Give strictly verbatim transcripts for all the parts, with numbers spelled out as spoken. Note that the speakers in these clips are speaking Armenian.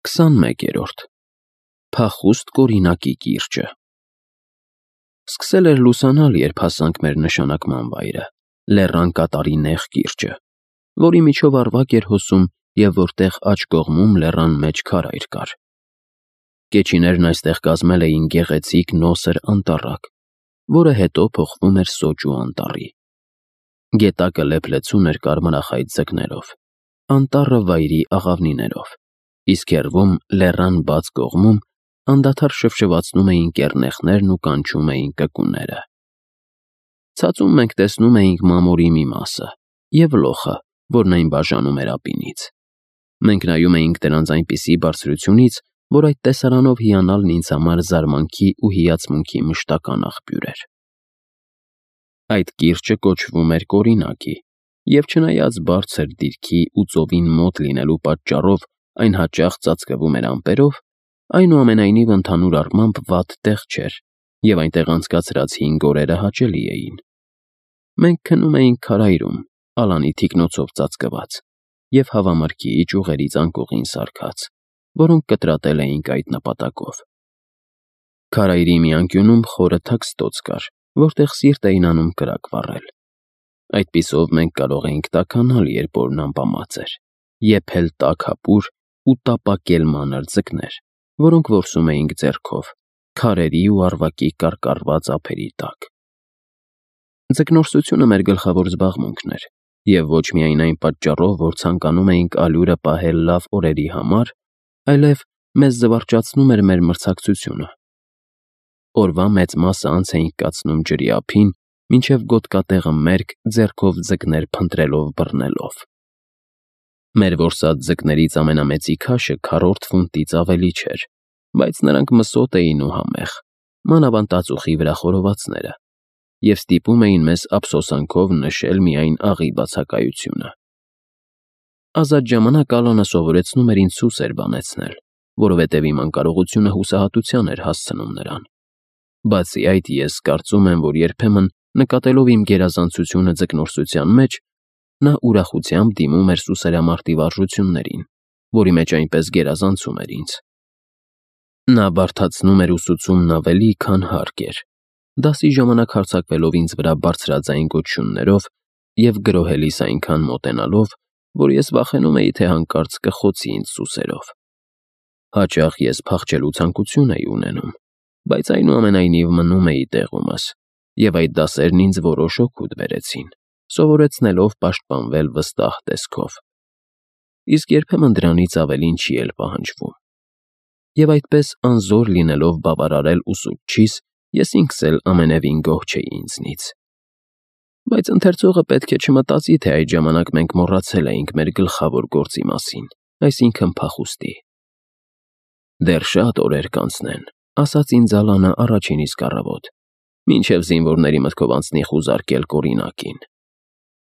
Քսանմեկերորդ Փախուստ Կորինակի կիրճը Սկսել էր լուսանալ, երբ հասանք մեր նշանակման վայրը՝ լեռան կատարի նեղ կիրճը, որի միջով առվակ էր հոսում և որտեղ աջ կողմում լեռան մեջ քարայր կար։ Կեչիներն այստեղ կազմել էին գեղեցիկ նոսր անտառակ, որը հետո փոխվում էր սոճու անտառի։ Գետակը լեփլեցուն էր կարմրախայտ ձկներով, անտառը վայրի աղավնիներով, իսկ հեռվում, լեռան բաց կողմում, անդադար շվշվացնում էին կեռնեխներն ու կանչում էին կկուները։ Ցածում մենք տեսնում էինք մամորի մի մասը և լոխը, որն այն բաժանում էր ապինից։ Մենք նայում էինք դրանց այնպիսի բարձրությունից, որ այդ տեսարանով հիանալն ինձ համար զարմանքի ու հիացմունքի մշտական աղբյուր էր։ Այդ կիրճը կոչվում էր Կորինակի, և չնայած բարձր դիրքի ու ծովին մոտ լինելու պատճառով այն հաճախ ծածկվում էր ամպերով, այնուամենայնիվ ընդհանուր առմամբ վատ տեղ չէր, և այնտեղ անցկացրած հինգ օրերը հաճելի էին։ Մենք քնում էինք քարայրում, ալանի թիկնոցով ծածկված, և հավամրգի ճյուղերից անկողին սարքած, որոնք կտրատել էինք այդ նպատակով։ Քարայրի մի անկյունում խորը թաքստոց կար, որտեղ սիրտ էին անում կրակ վառել։ Այդպիսով մենք կարող էինք տաքանալ, երբ օրն ամպամած էր, եփել տաք հապուր ու տապակել մանր ձկներ, որոնք որսում էինք ձեռքով, քարերի ու առվակի կարկառված ափերի տակ։ Ձկնորսությունը մեր գլխավոր զբաղմունքն էր, և ոչ միայն այն պատճառով, որ ցանկանում էինք ալյուրը պահել լավ օրերի համար, այլև մեզ զվարճացնում էր մեր մրցակցությունը։ Օրվա մեծ մասը անց էինք կացնում ջրի ափին, մինչև գոտկատեղը մերկ, ձեռքով ձկներ փնտրելով բռնելով։ Մեր որսած ձկներից ամենամեծի քաշը քառորդ ֆունտից ավելի չէր, բայց նրանք մսոտ էին ու համեղ, մանավանդ ածուխի վրա խորովածները, և ստիպում էին մեզ ափսոսանքով նշել միայն աղի բացակայությունը։ Ազատ ժամանակ Ալանը սովորեցնում էր ինձ սուսեր բանեցնել, որովհետև իմ անկարողությունը հուսահատության էր հասցնում նրան։ Բացի այդ, ես կարծում եմ, որ երբեմն, նկատելով իմ գերազանցությունը ձկնորսության մեջ, նա ուրախությամբ դիմում էր սուսերամարտի վարժություններին, որի մեջ այնպես գերազանցում էր ինձ։ Նա բարդացնում էր ուսուցումն ավելի, քան հարկ էր, դասի ժամանակ հարձակվելով ինձ վրա բարձրաձայն գոչյուններով և գրոհելիս այնքան մոտենալով, որ ես վախենում էի, թե հանկարծ կխոցի ինձ սուսերով։ Հաճախ ես փախչելու ցանկություն էի ունենում, բայց այնուամենայնիվ մնում էի տեղումս, և այդ դասերն ինձ որոշ օգուտ բերեցին, սովորեցնելով պաշտպանվել վստահ տեսքով։ Իսկ երբեմն դրանից ավելին չի էլ պահանջվում։ Եվ այդպես անզոր լինելով բավարարել ուսուցչիս, ես ինքս էլ ամենևին գոհ չէի ինձնից։ Բայց ընթերցողը պետք է չմտածի, թե այդ ժամանակ մենք մոռացել էինք մեր գլխավոր գործի մասին, այսինքն՝ փախուստի։ «Դեռ շատ օրեր կանցնեն», ասաց ինձ Ալանը առաջին իսկ առավոտ, «մինչև զինվորների մտքով անցնի խուզարկել Կորինակին։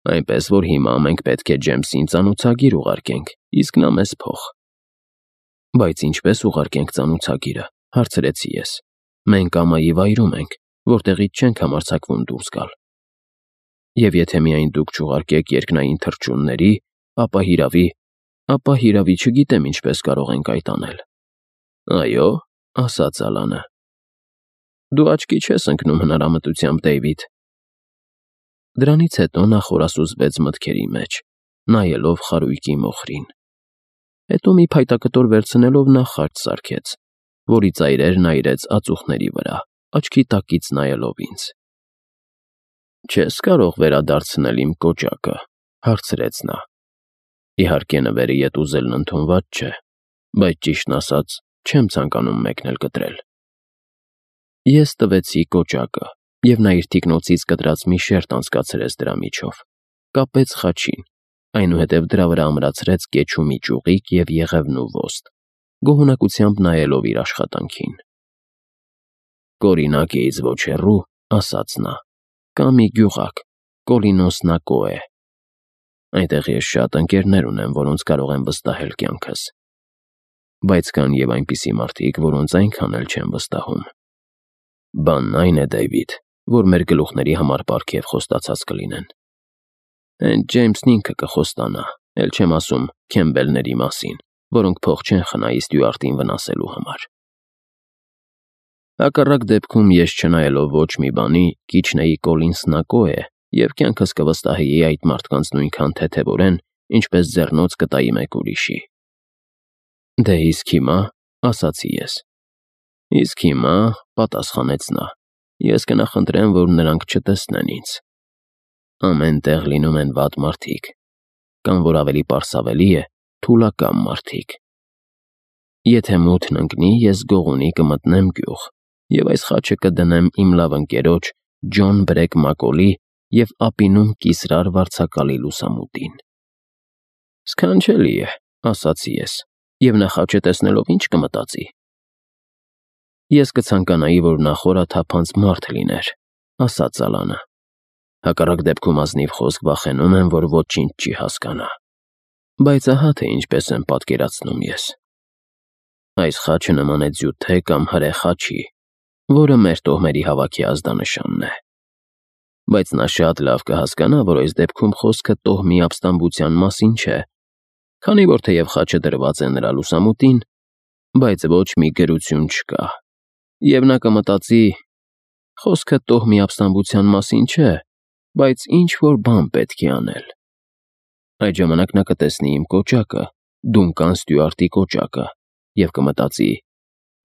Այնպես որ հիմա մենք պետք է Ջեյմսին ծանոթագիր ուղարկենք, իսկ նա մեզ փող»։ «Բայց ինչպե՞ս ուղարկենք ծանոթագիրը», հարցրեցի ես։ «Մենք ամայի վայրում ենք, որտեղից չենք համարձակվում դուրս գալ։ Եվ եթե միայն դուք չուղարկեք երկնային թռչունների, ապա հիրավի, ապա հիրավի չգիտեմ ինչպես կարող ենք այդ անել»։ «Այո՞, ասաց Ալանը։ Դու աչքի չես ընկնում հնարամտությամբ, Դեյվիդ»։ Դրանից հետո նա խորասուզվեց մտքերի մեջ, նայելով խարույկի մոխրին։ Հետո մի փայտակտոր վերցնելով նա խաչ սարքեց, որի ծայրերն այրեց ածուխների վրա, աչքի տակից նայելով ինձ։ «Չե՞ս կարող վերադարձնել իմ կոճակը», հարցրեց նա։ Իհարկե նվերը ետ ուզելն ընդունված չէ, բայց ճիշտն ասած, չեմ ցանկանում մեկն էլ կտրել։ Ես տվեցի կոճակը, և նա իր թիկնոցից կտրած մի շերտ անցկացրեց դրա միջով, կապեց խաչին, այնուհետև դրա վրա ամրացրեց կեչումի ճյուղիկ և եղևնու ոստ, գոհունակությամբ նայելով իր աշխատանքին։ «Կորինակից ոչ հեռու, — ասաց նա, — կա մի գյուղակ, Կոլինոսնակոե։ Այնտեղ ես շատ ընկերներ ունեմ, որոնց կարող եմ վստահել կյանքս։ Բայց կան և այնպիսի մարդիկ, որոնց այնքան էլ չեմ վստահում։ Բանն այն է, Դեյվիդ, որ մեր գլուխների համար պարգև խոստացած կլինեն։ Հենց Ջեյմսն ինքը կխոստանա, էլ չեմ ասում Քեմբելների մասին, որոնք փող չեն խնայի Ստյուարտին վնասելու համար։ Հակառակ դեպքում ես չնայելով ոչ մի բանի կիչնեի Կոլին Սնակո է և կյանքս կվստահեի այդ մարդկանց նույնքան թեթևորեն, ինչպես ձեռնոց կտայի մեկ ուրիշի։ Դե իսկ հիմա, ասացի ես։ Իսկ հիմա, պատասխանեց նա, ես կնախընտրեմ, որ նրանք չտեսնեն ինձ։ Ամեն տեղ լինում են վատ մարդիկ, կամ որ ավելի պարսավելի է, թուլակամ մարդիկ։ Եթե մութն ընկնի, ես գողունի կմտնեմ գյուղ, և այս խաչը կդնեմ իմ լավ ընկերոջ Ջոն Բրեկ Մակոլի և ապինում կիսրար վարձակալի լուսամուտին։ Սքանչելի է, ասացի ես, և նա խաչը տեսնելով ինչ կմտածի։ Ես կցանկանայի, որ նա խորաթափանց մարդ լիներ, ասաց Ալանը։ Հակառակ դեպքում ազնիվ խոսք վախենում եմ, որ ոչինչ չի հասկանա։ Բայց ահա թե ինչպես եմ պատկերացնում ես։ Այս խաչը նման է ձյութե կամ հրե խաչի, որը մեր տոհմերի հավաքի ազդանշանն է։ Բայց նա շատ լավ կհասկանա, որ այս դեպքում խոսքը տոհմի ապստամբության մասին չէ, քանի որ թեև խաչը դրված է նրա լուսամուտին, բայց ոչ մի գրություն չկա, և նա կմտածի. խոսքը տոհմի ապստամբության մասին չէ, բայց ինչ-որ բան պետք է անել։ Այդ ժամանակ նա կտեսնի իմ կոճակը, Դունկան Ստյուարտի կոճակը, և կմտածի.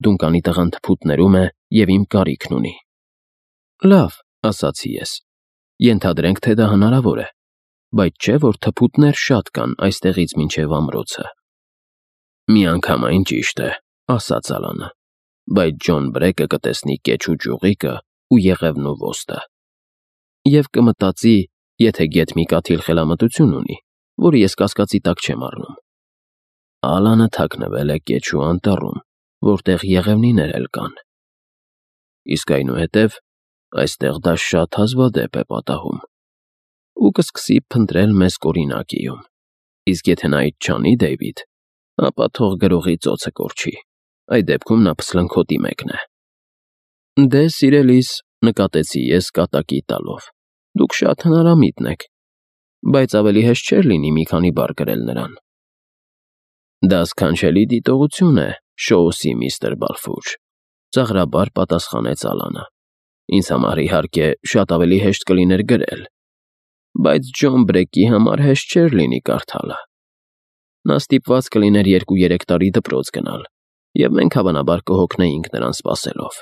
Դունկանի տղան թփուտներում է և իմ կարիքն ունի։ Լավ, ասացի ես, ենթադրենք, թե դա հնարավոր է, բայց չէ, որ թփուտներ շատ կան այստեղից մինչև ամրոցը։ Միանգամայն ճիշտ է, ասաց Ալանը, բայց Ջոն Բրեկը կտեսնի կեչու ճյուղիկը ու եղևնու ոստը։ Եվ կմտածի, եթե գեթ մի կաթիլ խելամտություն ունի, որը ես կասկածի տակ չեմ առնում։ Ալանը թաքնվել է կեչու անտառում, որտեղ եղևնիներ էլ կան։ Իսկ այնուհետև այստեղ դա շատ հազվադեպ է պատահում։ Ու կսկսի փնտրել մեզ կորինակիում։ Իսկ եթե նա այդ չանի, Դեյվիդ, ապա թող գրողի ծոցը կորչի։ Այդ դեպքում նա փսլնքոտի մեկն է։ Դե, սիրելիս, նկատեցի ես կատակի տալով, դուք շատ հնարամիտն եք, բայց ավելի հեշտ չէր լինի մի քանի բառ գրել նրան։ Դա սքանչելի դիտողություն է, Շոուսի միստր Բալֆուր, ծաղրաբար պատասխանեց Ալանը։ Ինձ համար, իհարկե, շատ ավելի հեշտ կլիներ գրել, բայց Ջոն Բրեկի համար հեշտ չէր լինի կարդալը։ Նա ստիպված կլիներ երկու֊երեք տարի դպրոց գնալ, և մենք հավանաբար կհոգնեինք նրան սպասելով։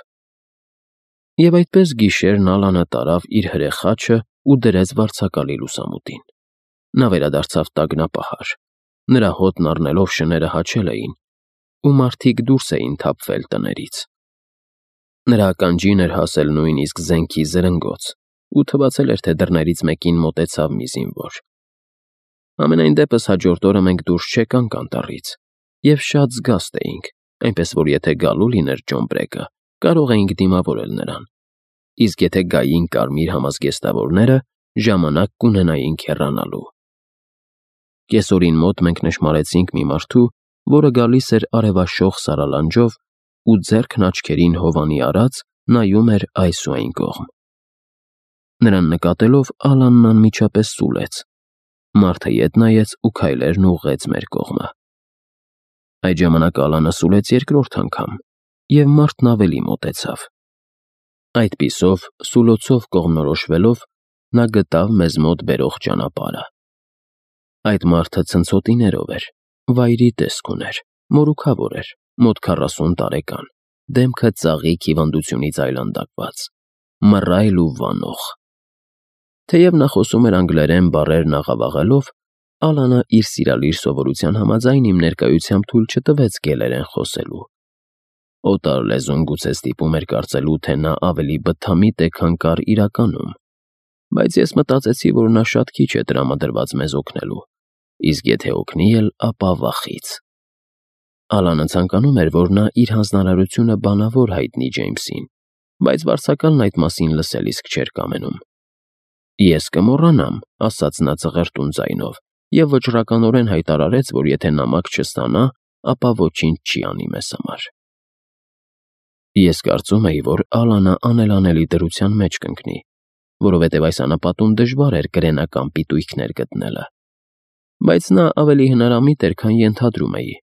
Եվ այդպես գիշերն Ալանը տարավ իր հրե խաչը ու դրեց վարձակալի լուսամուտին։ Նա վերադարձավ տագնապահար։ Նրա հոտն առնելով շները հաչել էին, ու մարդիկ դուրս էին թափվել տներից։ Նրա ականջին էր հասել նույնիսկ զենքի զրնգոց, ու թվացել էր, թե դռներից մեկին մոտեցավ մի զինվոր։ Համենայն դեպս հաջորդ օրը մենք դուրս չեկանք անտառից, և շատ զգաստ էինք, այնպես որ եթե գալու լիներ Ջոն Բրեկը, կարող էինք դիմավորել նրան, իսկ եթե գային կարմիր համազգեստավորները, ժամանակ կունենայինք հեռանալու։ Կեսօրին մոտ մենք նշմարեցինք մի մարդու, որը գալիս էր արևաշող սարալանջով ու ձեռքն աչքերին հովանի արած նայում էր այս ու այն կողմ։ Նրան նկատելով Ալանն անմիջապես սուլեց։ Մարդը ետ նայեց ու քայլերն ուղղեց մեր կողմը։ Այդ ժամանակ Ալանը սուլեց երկրորդ անգամ, և մարդն ավելի մոտեցավ։ Այդպիսով, սուլոցով կողմնորոշվելով, նա գտավ մեզ մոտ բերող ճանապարհը։ Այդ մարդը ցնցոտիներով էր, վայրի տեսք ուներ, մորուքավոր էր, մոտ քառասուն տարեկան, դեմքը ծաղիկ հիվանդությունից այլանդակված, մռայլ ու վանող։ Թեև նա խոսում էր անգլերեն բառերն աղավաղելով, Ալանը իր սիրալիր սովորության համաձայն իմ ներկայությամբ թույլ չտվեց գելերեն խոսելու։ Օտար լեզուն գուցե ստիպում էր կարծելու, թե նա ավելի բթամիտ է, քան կար իրականում, բայց ես մտածեցի, որ նա շատ քիչ է տրամադրված մեզ օգնելու, իսկ եթե օգնի էլ, ապա վախից։ Ալանը ցանկանում էր, որ նա իր հանձնարարությունը բանավոր հայտնի Ջեյմսին, բայց վարձակալն այդ մասին լսել իսկ չէր կամենում։ Ես կմոռանամ, ասաց նա ծղրտուն ձայնով, և վճռականորեն հայտարարեց, որ եթե նամակ չստանա, ապա ոչինչ չի անի մեզ համար։ Ես կարծում էի, որ Ալանը անելանելի դրության մեջ կընկնի, որովհետև այս անապատում դժվար էր կրենական պիտույքներ գտնելը։ Բայց նա ավելի հնարամիտ էր, քան ենթադրում էի,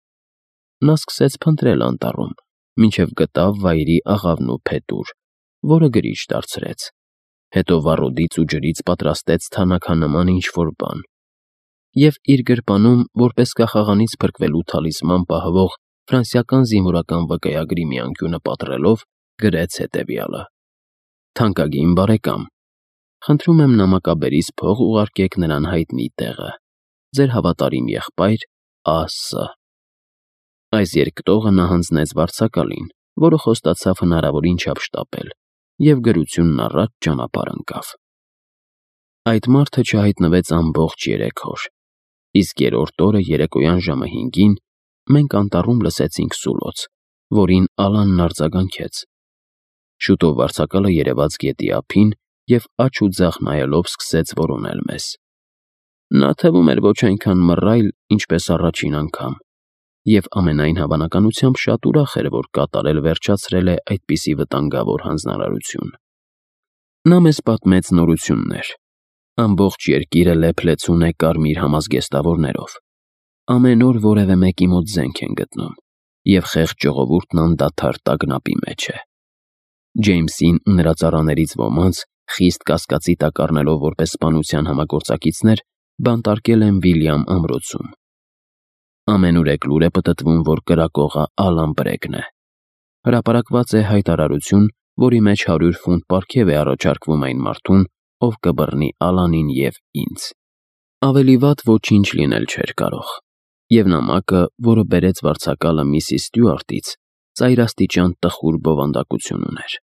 նա սկսեց փնտրել անտառում, մինչև գտավ վայրի աղավնու փետուր, որը գրիչ դարձրեց։ Հետո վառոդից ու ջրից պատրաստեց թանաքանման ինչ-որ բան և իր գրպանում, որպես կախաղանից փրկվելու թալիսման պահվող ֆրանսիական զինվորական վկայագրի մի անկյունը պատռելով, գրեց հետևյալը. «Թանկագին բարեկամ, խնդրում եմ նամակաբերից փող ուղարկեք նրան հայտնի տեղը։ Ձեր հավատարիմ եղբայր Ա Ս» Այս երկտողը նա հանձնեց վարձակալին, որը խոստացավ հնարավորին չափ շտապել, և գրությունն առաջ ճանապարհ ընկավ։ Այդ մարդը չհայտնվեց ամբողջ երեք օր, իսկ երրորդ օրը երեկոյան ժամը հինգին մենք անտառում լսեցինք սուլոց, որին Ալանն արձագանքեց։ Շուտով վարձակալը երևաց գետի ափին և աջ ու ձախ նայելով սկսեց որոնել մեզ։ Նա թվում էր ոչ այնքան մռայլ, ինչպես առաջին անգամ, և ամենայն հավանականությամբ շատ ուրախ էր, որ կատարել վերջացրել է այդպիսի վտանգավոր հանձնարարություն։ Նա մեզ պատմեց նորություններ։ Ամբողջ երկիրը լեփ-լեցուն է կարմիր համազգեստավորներով։ Ամեն օր որևէ մեկի մոտ զենք են գտնում, և խեղճ ժողովուրդն անդադար տագնապի մեջ է։ Ջեյմսին ու նրա ծառաներից ոմանց, խիստ կասկածի տակ առնելով որպես սպանության համագործակիցներ, բանտարկել են Վիլյամ ամրոցում։ Ամենուրեք լուր է պտտվում, որ կրակողը Ալան Բրեգն է։ Հրապարակված է հայտարարություն, որի մեջ հարյուր ֆունտ պարգև է առաջարկվում այն մարդուն, ով կբռնի Ալանին և ինձ։ Ավելի վատ ոչինչ լինել չէր կարող, և նամակը, որը բերեց վարձակալը միսիս Ստյուարտից, ծայրաստիճան տխուր բովանդակություն ուներ։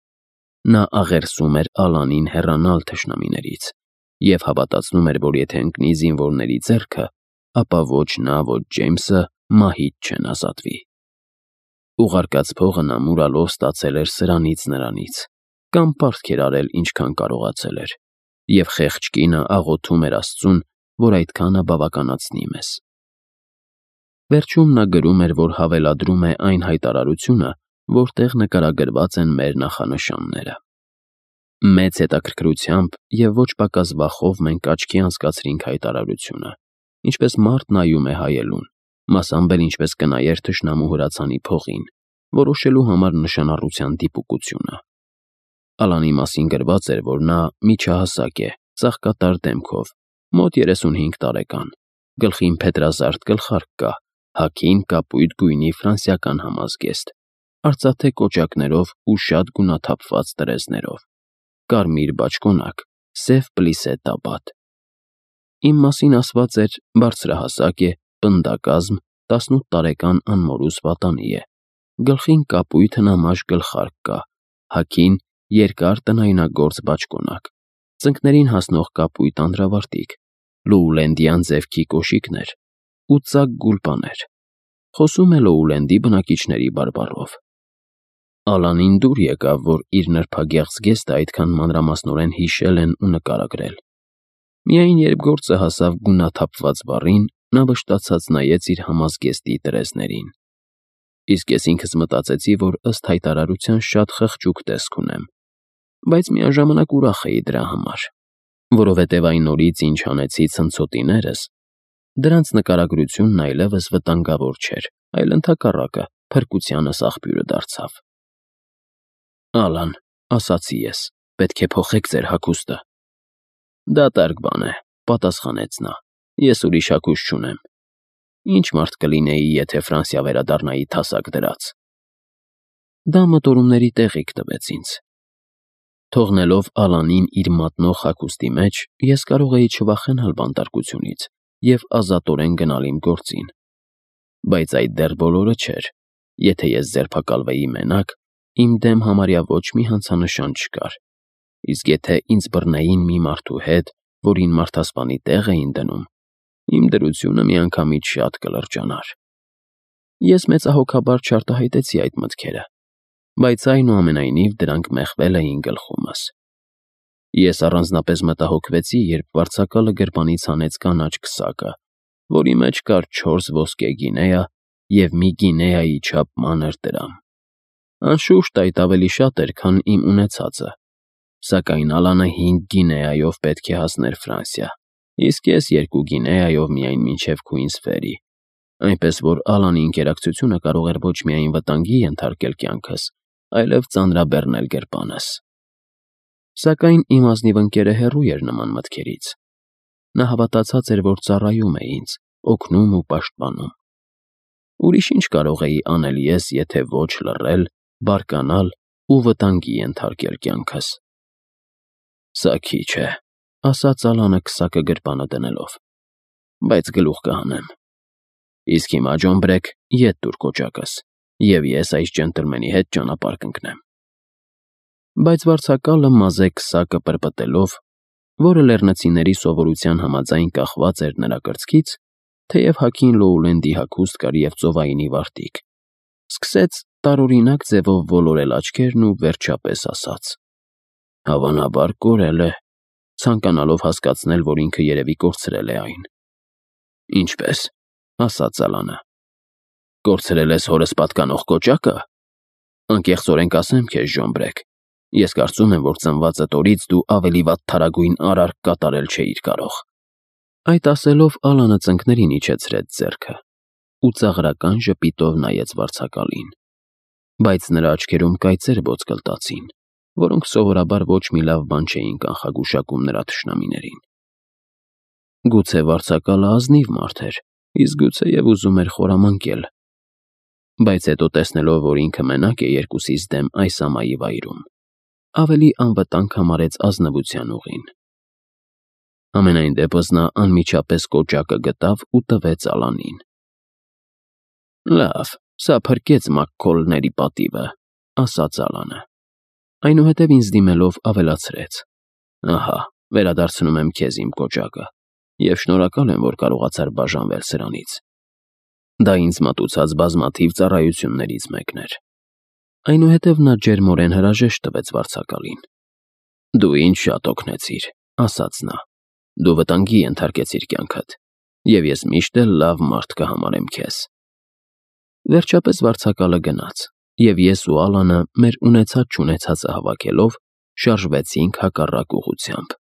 Նա աղերսում էր Ալանին հեռանալ թշնամիներից և հավատացնում էր, որ եթե ընկնի զինվորների ձեռքը, ապա ոչ նա, ոչ Ջեյմսը մահից չեն ազատվի։ Ուղարկած փողը նա մուրալով ստացել էր սրանից նրանից, կամ պարտք էր արել, ինչքան կարողացել էր, և խեղճ կինը աղոթում էր Աստծուն, որ այդքանը բավականացնի մեզ։ Վերջում նա գրում էր, որ հավելադրում է այն հայտարարությունը, որտեղ նկարագրված են մեր նախանշանները։ Մեծ հետաքրքրությամբ և ոչ պակաս վախով մենք աչքի անցկացրինք հայտարարությունը, ինչպես մարդ նայում է հայելուն, մասամբ էլ ինչպես կնայեր թշնամու հրացանի փողին, որոշելու համար նշանառության դիպուկությունը։ Ալանի մասին գրված էր, որ նա միջահասակ է, ծաղկատար դեմքով, մոտ երեսունհինգ տարեկան, գլխին փետրազարդ գլխարկ կա, հագին կապույտ գույնի ֆրանսիական համազգեստ, արծաթե կոճակներով ու շատ գունաթափված տրեզներով, կարմիր բաճկոնակ, սև պլիսե տաբատ։ Իմ մասին ասված էր՝ բարձրահասակ է, պնդակազմ, տասնութ տարեկան անմորուս պատանի է, գլխին կապույտ հնամաշ գլխարկ կա, հագին երկար տնայնագործ բաճկոնակ, ծնկներին հասնող կապույտ անդրավարտիք, լոուլենդյան ձևքի կոշիկներ ու ծակ գուլպաներ։ Խոսում է Լոուլենդի բնակիչների բարբառով։ Ալանին դուր եկավ, որ իր նրբագեղ զգեստը այդքան մանրամասնորեն հիշել են ու նկարագրել։ Միայն երբ գործը հասավ գունաթափված բառին, նա վշտացած նայեց իր համազգեստի տրեզներին։ Իսկ ես ինքս մտածեցի, որ ըստ հայտարարության շատ խղճուկ տեսք ունեմ, բայց միաժամանակ ուրախ էի դրա համար, որովհետև այն օրից, ինչ հանեցի ցնցոտիներս, դրանց նկարագրությունն այլևս վտանգավոր չէր, այլ ընդհակառակը, փրկությանս աղբյուրը դարձավ։ «Ալան, ասացի ես, պետք է փոխեք ձեր հագուստը»։ «Դատարկ բան է», պատասխանեց նա, «ես ուրիշ հագուստ չունեմ։ Ինչ մարդ կլինեի, եթե Ֆրանսիա վերադառնայի թասակ դրած»։ Դա մտորումների տեղիք տվեց ինձ։ Թողնելով Ալանին իր մատնող հագուստի մեջ, ես կարող էի չվախենալ բանտարկությունից և ազատորեն գնալ իմ գործին։ Բայց այդ դեռ բոլորը չէր։ Եթե ես ձերբակալվեի մենակ, իմ դեմ համարյա ոչ մի հանցանշան չկար, իսկ եթե ինձ բռնեին մի մարդու հետ, որին մարդասպանի տեղ էին դնում, իմ դրությունը միանգամից շատ կլրջանար։ Ես մեծահոգաբար չարտահայտեցի այդ մտքերը, բայց այնուամենայնիվ դրանք մեխվել էին գլխումս։ Ես առանձնապես մտահոգվեցի, երբ վարձակալը գրպանից հանեց կանաչ քսակը, որի մեջ կար չորս ոսկե գինեա և մի գինեայի չափ մանր դրամ։ Անշուշտ այդ ավելի շատ էր, քան իմ ունեցածը, սակայն Ալանը հինգ գինեայով պետք է հասներ Ֆրանսիա, իսկ ես երկու գինեայով միայն մինչև Քուինսֆերի։ այնպես որ Ալանի ինտերակցիոնը կարող էր ոչ միայն վտանգի ենթարկել կյանքս, այլև ծանրաբեռնել գրպանս։ Սակայն իմ ազնիվ ընկերը հեռու էր նման մտքերից։ Նա հավատացած էր, որ ծառայում է ինձ, օգնում ու պաշտպանում։ Ուրիշ ինչ կարող էի անել ես, եթե ոչ լռել, բարկանալ ու վտանգի ենթարկել կյանքս։ Սա քիչ է, ասաց Ալանը քսակը գրպանը դնելով, բայց գլուխ կհանեմ։ Իսկ հիմա, Ջոն Բրեգ, ետ տուր կոճակս, և ես այս ջենտլմենի հետ ճանապարհ կընկնեմ։ Բայց վարձակալը մազե քսակը պրպտելով, որը լեռնցիների սովորության համաձայն կախված էր նրա կրծքից, թեև հագին Լոուլենդի հագուստ կար և ծովայինի վարտիք, սկսեց տարօրինակ ձևով ոլորել աչքերն ու վերջապես ասաց. Հավանաբար կորել է, ցանկանալով հասկացնել, որ ինքը երևի կորցրել է այն։ Ինչպե՞ս, ասաց Ալանը։ Կորցրել ես հորս պատկանող կոճակը։ Անկեղծորեն կասեմ քեզ, Ջոն Բրեգ, ես կարծում եմ, որ ծնվածդ օրից դու ավելի վատ թարագույն արարք կատարել չէիր կարող։ Այդ ասելով Ալանը ծնկներին իջեցրեց ձեռքը ու ծաղրական ժպիտով նայեց վարձակալին, բայց նրա աչքերում կայծեր ոսկլտացին, որոնք սովորաբար ոչ մի լավ բան չէին կանխագուշակում նրա թշնամիներին։ Գուցե վարձակալը ազնիվ մարդ էր, իսկ գուցեև ուզում էր խորամանկել, բայց հետո տեսնելով, որ ինքը մենակ է երկուսիս դեմ այս ամայի վայրում, ավելի անվտանգ համարեց ազնվության ուղին։ Համենայն դեպս նա անմիջապես կոճակը գտավ ու տվեց Ալանին։ Լավ, սա փրկեց Մակքոլների պատիվը, ասաց Ալանը։ Այնուհետև ինձ դիմելով ավելացրեց. Ահա, վերադարձնում եմ քեզ իմ կոճակը, և շնորհակալ եմ, որ կարողացար բաժանվել սրանից։ Դա ինձ մատուցած բազմաթիվ ծառայություններից մեկն էր։ Այնուհետև նա ջերմորեն հրաժեշտ տվեց վարձակալին։ Դու ինձ շատ օգնեցիր, ասաց նա։ Դու վտանգի ենթարկեցիր կյանքդ, և ես միշտ էլ լավ մարդ կհամարեմ քեզ։ Վերջապես վարձակալը գնաց, և ես ու Ալանը մեր ունեցած-չունեցածը հավաքելով շարժվեցինք հակառակ ուղղությամբ։